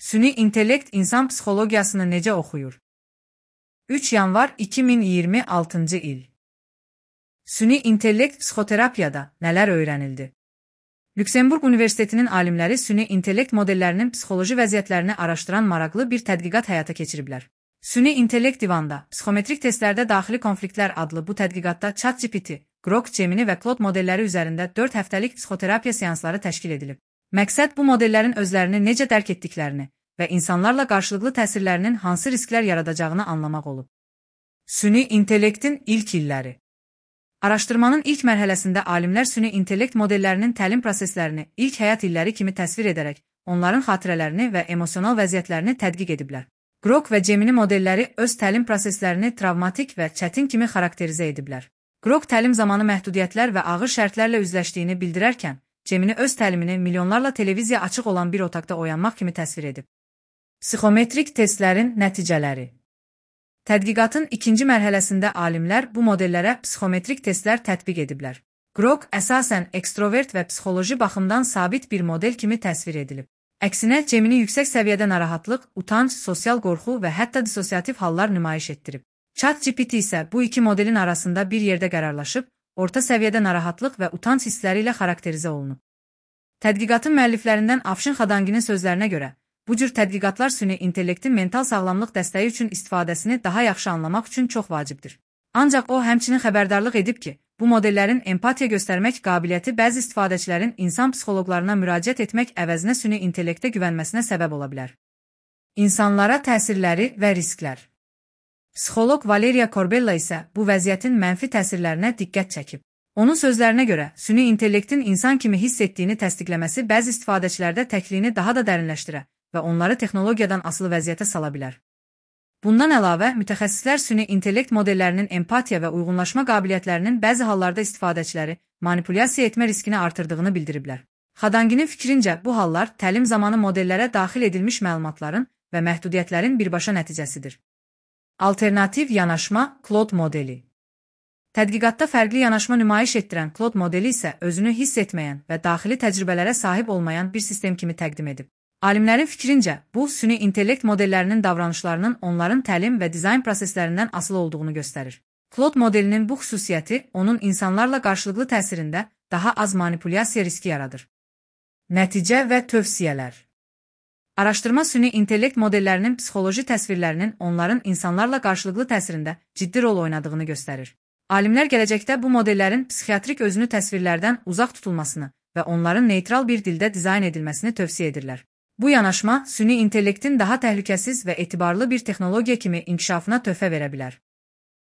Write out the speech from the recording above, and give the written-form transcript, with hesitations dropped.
Süni intellekt insan psixologiyasını necə oxuyur? 3 yanvar 2026 il. Süni intellekt psixoterapiyada nələr öyrənildi? Lüksemburq Universitetinin alimləri süni intellekt modellərinin psixoloji vəziyyətlərini araşdıran maraqlı bir tədqiqat həyata keçiriblər. Süni intellekt divanda, psixometrik testlərdə daxili konfliktlər adlı bu tədqiqatda ChatGPT, Grok, Gemini və Claude modelləri üzərində 4 həftəlik psixoterapiya seansları təşkil edilib. Məqsəd bu modellərin özlərini necə dərk etdiklərini və insanlarla qarşılıqlı təsirlərinin hansı risklər yaradacağını anlamaq olub. Süni intellektin ilk illəri. Araşdırmanın ilk mərhələsində alimlər süni intellekt modellərinin təlim proseslərini ilk həyat illəri kimi təsvir edərək, onların xatirələrini və emosional vəziyyətlərini tədqiq ediblər. Grok və Gemini modelləri öz təlim proseslərini travmatik və çətin kimi xarakterizə ediblər. Grok təlim zamanı məhdudiyyətlər və ağır şərtlərlə üzləşdiyini bildirərkən, Gemini öz təlimini milyonlarla televiziya açıq olan bir otaqda oyanmaq kimi təsvir edib. Psixometrik testlərin nəticələri. Tədqiqatın ikinci mərhələsində alimlər bu modellərə psixometrik testlər tətbiq ediblər. Grok əsasən ekstrovert və psixoloji baxımdan sabit bir model kimi təsvir edilib. Əksinə, Gemini yüksək səviyyədə narahatlıq, utanc, sosial qorxu və hətta dissosiativ hallar nümayiş etdirib. ChatGPT isə bu iki modelin arasında bir yerdə qərarlaşıb, orta səviyyədə narahatlıq və utanc hissləri ilə xarakterizə olunub. Tədqiqatın müəlliflərindən Afşin Xadanginin sözlərinə görə, bu cür tədqiqatlar süni intellektin mental sağlamlıq dəstəyi üçün istifadəsini daha yaxşı anlamaq üçün çox vacibdir. Ancaq o, həmçinin xəbərdarlıq edib ki, bu modellərin empatiya göstərmək qabiliyyəti bəzi istifadəçilərin insan psixoloqlarına müraciət etmək əvəzinə süni intellektə güvənməsinə səbəb ola bilər. İnsanlara təsirləri və risklər. Psixoloq Valeriya Corbella isə bu vəziyyətin mənfi təsirlərinə diqqət çəkib. Onun sözlərinə görə, süni intellektin insan kimi hiss etdiyini təsdiqləməsi bəzi istifadəçilərdə təkliyini daha da dərinləşdirə və onları texnologiyadan asılı vəziyyətə sala bilər. Bundan əlavə, mütəxəssislər süni intellekt modellərinin empatiya və uyğunlaşma qabiliyyətlərinin bəzi hallarda istifadəçiləri manipulyasiya etmə riskini artırdığını bildiriblər. Xadanginin fikrincə, bu hallar təlim zamanı modellərə daxil edilmiş məlumatların və məhdudiyyətlərin birbaşa nəticəsidir. Alternativ yanaşma Claude modeli. Tədqiqatda fərqli yanaşma nümayiş etdirən Claude modeli isə özünü hiss etməyən və daxili təcrübələrə sahib olmayan bir sistem kimi təqdim edib. Alimlərin fikrincə, bu, süni intellekt modellərinin davranışlarının onların təlim və dizayn proseslərindən asılı olduğunu göstərir. Claude modelinin bu xüsusiyyəti onun insanlarla qarşılıqlı təsirində daha az manipulyasiya riski yaradır. Nəticə və tövsiyələr. Araşdırma süni intellekt modellərinin psixoloji təsvirlərinin onların insanlarla qarşılıqlı təsirində ciddi rol oynadığını göstərir. Alimlər gələcəkdə bu modellərin psixiatrik özünü təsvirlərdən uzaq tutulmasını və onların neytral bir dildə dizayn edilməsini tövsiyə edirlər. Bu yanaşma, süni intellektin daha təhlükəsiz və etibarlı bir texnologiya kimi inkişafına töhfə verə bilər.